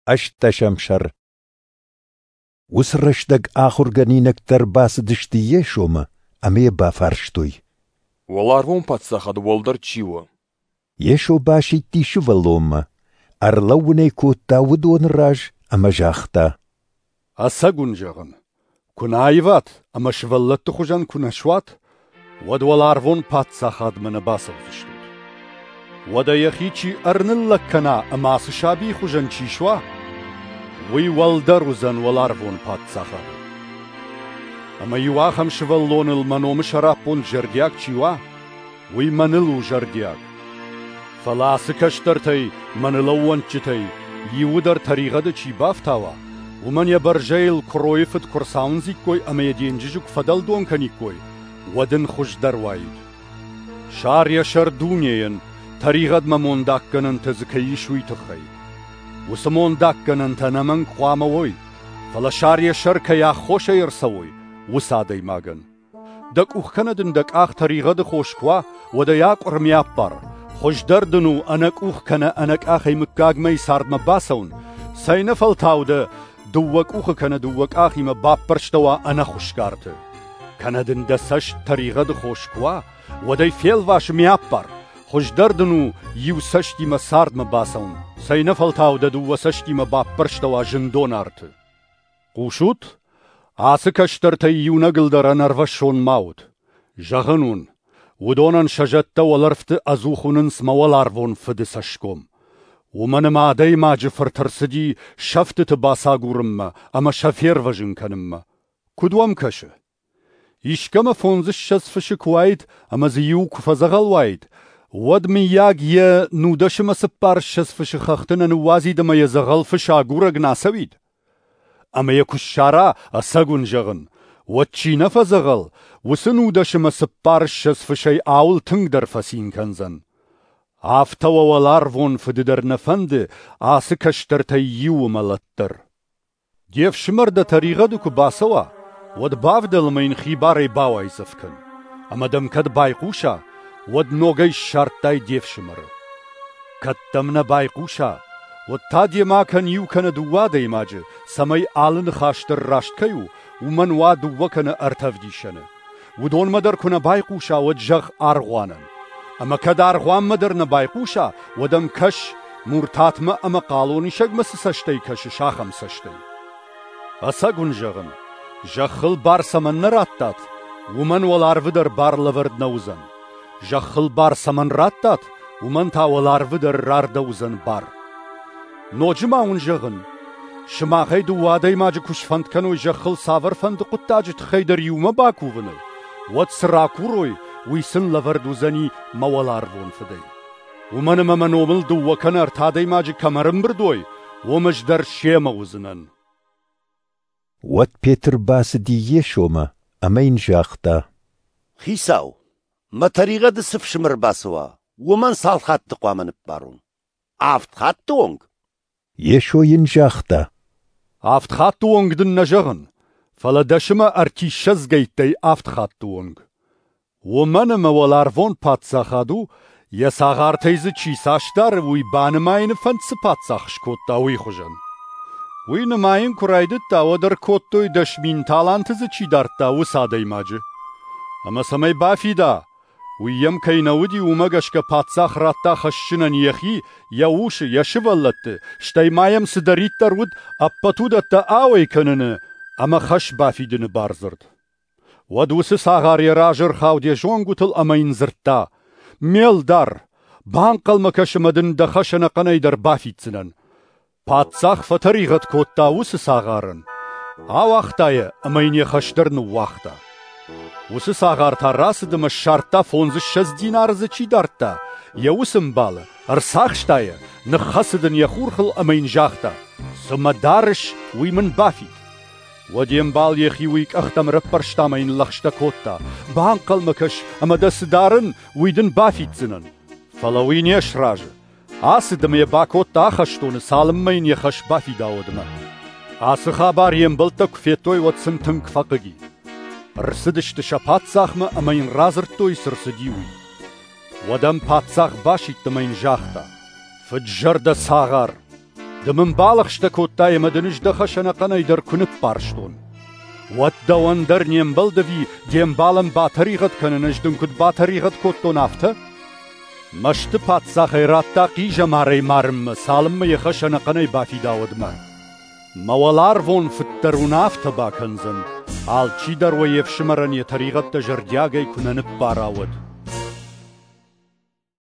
Ӕстдӕсӕм сӕр. Уыцы рӕстӕг ахуыргӕнинӕгтӕ ӕрбацыдысты Йесомӕ ӕмӕ йӕ бафарстой: Уӕларвон паддзахады уӕлдӕр чи у? Йесо басидти сывӕллонмӕ, ӕрлӕууын ӕй кодта уыдоны раз ӕмӕ загъта: Ӕцӕг уын зӕгъын, куы нӕ аиват ӕмӕ сывӕллӕтты хуызӕн куы нӕ суат, уӕд уӕларвон паддзахадмӕ нӕ бацӕудзыстут. Уӕдӕ йӕхи чи ӕрныллӕг кӕна ӕмӕ ацы сабийы хуызӕн чи суа, уый уӕлдӕр уыдзӕн уӕларвон паддзахады. Ӕмӕ иу ахӕм сывӕллоныл мӕ номы сӕраппонд зӕрдиаг чи уа, уый мӕныл у зӕрдиаг. Фӕлӕ ацы кӕстӕртӕй, мӕныл ӕууӕндджытӕй, иуы дӕр тӕригъӕды чи бафтауа, уымӕн йӕ бӕрзӕйыл куыройы фыд куы рцауындзиккой ӕмӕ йӕ денджызы куы фӕдӕлдон кӕниккой, уӕд ын хуыздӕр уаид. Сар йӕ сӕр дунейӕн, тӕригъӕдмӕ мондаггӕнӕнтӕ дзы кӕй ис, уый тыххӕй. Уыцы мондаггӕнӕнтӕ ӕнӕмӕнг хъуамӕ уой, фӕлӕ сар йӕ сӕр кӕй аххосӕй ӕрцӕуой, уыцы адӕймагӕн. Дӕ къух кӕнӕ дын дӕ къах тӕригъӕды хос куы уа, уӕд ӕй акъуыр ме аппар. Хуыздӕр дын у ӕнӕ къух кӕнӕ ӕнӕ къахӕй мыггагмӕйы цардмӕ бацӕуын, цӕйнӕфӕлтау дӕ дыууӕ къухы кӕнӕ дыууӕ къахимӕ баппӕрстӕуа ӕнӕхуысгӕ арты. Кӕнӕ дын дӕ цӕст тӕригъӕды хос куы уа, уӕд ӕй фелвас ме аппар. Хуыздӕр дын у иу цӕстимӕ цардмӕ бацӕуын, цӕйнӕфӕлтау дӕ дыууӕ цӕстимӕ баппӕрстӕуа зындон арты. Хъусут? Ацы кӕстӕртӕй иунӕгыл дӕр ӕнӕрвӕссон ма ут. Зӕгъын уын, уыдонӕн сӕ зӕдтӕ уӕлӕрвты ӕдзух уынынц мӕ уӕларвон Фыды цӕсгом. Уымӕн ӕмӕ Адӕймаджы Фырт ӕрцыди сӕфтыты бацагурынмӕ ӕмӕ сӕ фервӕзын кӕнынмӕ. Куыд уӕм кӕсы? Искӕмӕ фондзыссӕдз фысы куы уаид ӕмӕ дзы иу куы фӕдзӕгъӕл уаид, уӕд, мыййаг, йӕ нудӕсымӕ цыппарыссӕдз фысы хӕхты нӕ ныууадзид ӕмӕ йӕ дзӕгъӕл фыс агурӕг нӕ ацӕуид? Ӕмӕ йӕ куы ссара, ӕцӕг уын зӕгъын, уӕд чи нӕ фӕдзӕгъӕл, уыцы нудӕсымӕ цыппарыссӕдз фысӕй ауыл тынгдӕр фӕцин кӕндзӕн. Афтӕ уӕ уӕларвон Фыды дӕр нӕ фӕнды ацы кӕстӕртӕй иуы мӕлӕт дӕр. Де фсымӕр дӕ тӕригъӕды куы бацӕуа, уӕд бавдӕл ӕмӕ йын хибарӕй бауайдзӕф кӕн. Ӕмӕ дӕм кӕд байхъуса, уӕд ногӕй ссардтай де фсымӕры. Кӕд дӕм нӕ байхъуса, уӕд та демӕ кӕн иу кӕнӕ дыууӕ адӕймаджы, цӕмӕй алы ныхас дӕр раст кӕй у, уымӕн уа дыууӕ кӕнӕ ӕртӕ ӕвдисӕны. Уыдонмӕ дӕр куы нӕ байхъуса, уӕд зӕгъ аргъуанӕн. Ӕмӕ кӕд аргъуанмӕ дӕр нӕ байхъуса, уӕд ӕм кӕс, муртатмӕ ӕмӕ хъалонисӕгмӕ цы цӕстӕй кӕсыс, ахӕм цӕстӕй. Ӕцӕг уын зӕгъын, зӕххыл бар цӕмӕн нӕ радтат, уымӕн уӕларвы дӕр бар лӕвӕрд нӕ уыдзӕн. Зӕххыл бар цӕмӕн радтат, уымӕн та уӕларвы дӕр рардӕуыдзӕн бар. Ноджы ма уын зӕгъын, сымахӕй дыууӕ адӕймаджы куы сфӕнд кӕной зӕххыл цавӕрфӕнды хъуыддаджы тыххӕй дӕр иумӕ бакувыныл, уӕд цы ракурой, уый сын лӕвӕрд уыдзӕни мӕ уӕларвон Фыдӕй. Уымӕн ӕмӕ мӕ номыл дыууӕ кӕнӕ ӕртӕ адӕймаджы кӕм ӕрӕмбырд уой, уым ӕз дӕр семӕ уыдзынӕн. Уӕд Петр бацыди Йесомӕ ӕмӕ йын загъта: Хицау, мӕ тӕригъӕды цы фсымӕр бацӕуа, уымӕн цал хатты хъуамӕ ныббарон? Авд хатты онг? Йесо йын загъта: Авд хатты онг дын нӕ зӕгъын, фӕлӕ дӕсымӕ ӕртиссӕдзгӕйттӕй авд хатты онг. Уымӕн ӕмӕ уӕларвон паддзахад у, йӕ цагъартӕй дзы чи цас дары, уый банымайыны фӕнд цы паддзах скодта, уый хуызӕн. Уый нымайын куы райдыдта, уӕд ӕркодтой, 10 000 таланты дзы чи дардта, уыцы адӕймаджы. Ӕмӕ цӕмӕй бафида, уый йӕм кӕй нӕ уыди, уымӕ гӕсгӕ паддзах радта хӕсджынӕн йӕхи, йӕ усы, йӕ сывӕллӕтты, стӕй ма йӕм цыдӕриддӕр уыд, ӕппӕт уыдӕттӕ ауӕй кӕныны ӕмӕ хӕс бафидыны бардзырд. Уӕд уыцы цагъар йӕ разы ӕрхауд йӕ зонгуытыл ӕмӕ йын дзырдта: «Ме лдар, банхъӕлмӕ кӕс ӕмӕ дын дӕ хӕс ӕнӕхъӕнӕй дӕр бафиддзынӕн». Паддзах фӕтӕригъӕд кодта уыцы цагъарӕн, ауагъта йӕ ӕмӕ йын йӕ хӕс дӕр ныууагъта. Уыцы цагъар та рацыд ӕмӕ ссардта фондзыссӕдз динары дзы чи дардта, йӕ уыцы ӕмбалы, ӕрцахста йӕ, ныххӕцыд ын йӕ хурхыл ӕмӕ йын загъта: «Цы мӕ дарыс, уый мын бафид». Уӕд йе мбал йӕхи уый къӕхтӕм ӕрӕппӕрста ӕмӕ йын лӕгъстӕ кодта: «Банхъӕлмӕ кӕс, ӕмӕ дӕ цы дарын, уый дын бафиддзынӕн». Фӕлӕ уый не сразы. Ацыд ӕмӕ йӕ бакодта ахӕстоны, цалынмӕ йын йӕ хӕс бафида, уӕдмӕ. Ацы хабар йе мбӕлттӕ куы федтой, уӕд сын тынг фӕхъыг и. Ӕрцыдысты сӕ паддзахмӕ ӕмӕ йын радзырдтой, цы рцыди, уый. Уӕд ӕм паддзах басидт ӕмӕ йын загъта: «Фыд-зӕрдӕ цагъар! Ды мын балӕгъстӕ кодтай ӕмӕ дын ӕз дӕ хӕс ӕнӕхъӕнӕй дӕр куы ныббарстон. Уӕд дӕуӕн дӕр не мбӕлд ӕви де мбалӕн батӕригъӕд кӕнын, ӕз дын куыд батӕригъӕд кодтон, афтӕ? Мӕсты паддзах ӕй радта хъизӕмарӕй марынмӕ, цалынмӕ йӕ хӕс ӕнӕхъӕнӕй бафида, уӕдмӕ. Мӕ уӕларвон Фыд дӕр уын афтӕ бакӕндзӕн, алчидӕр уӕ йе фсымӕрӕн йӕ тӕригъӕдтӕ зӕрдиагӕй куы нӕ ныббара, уӕд.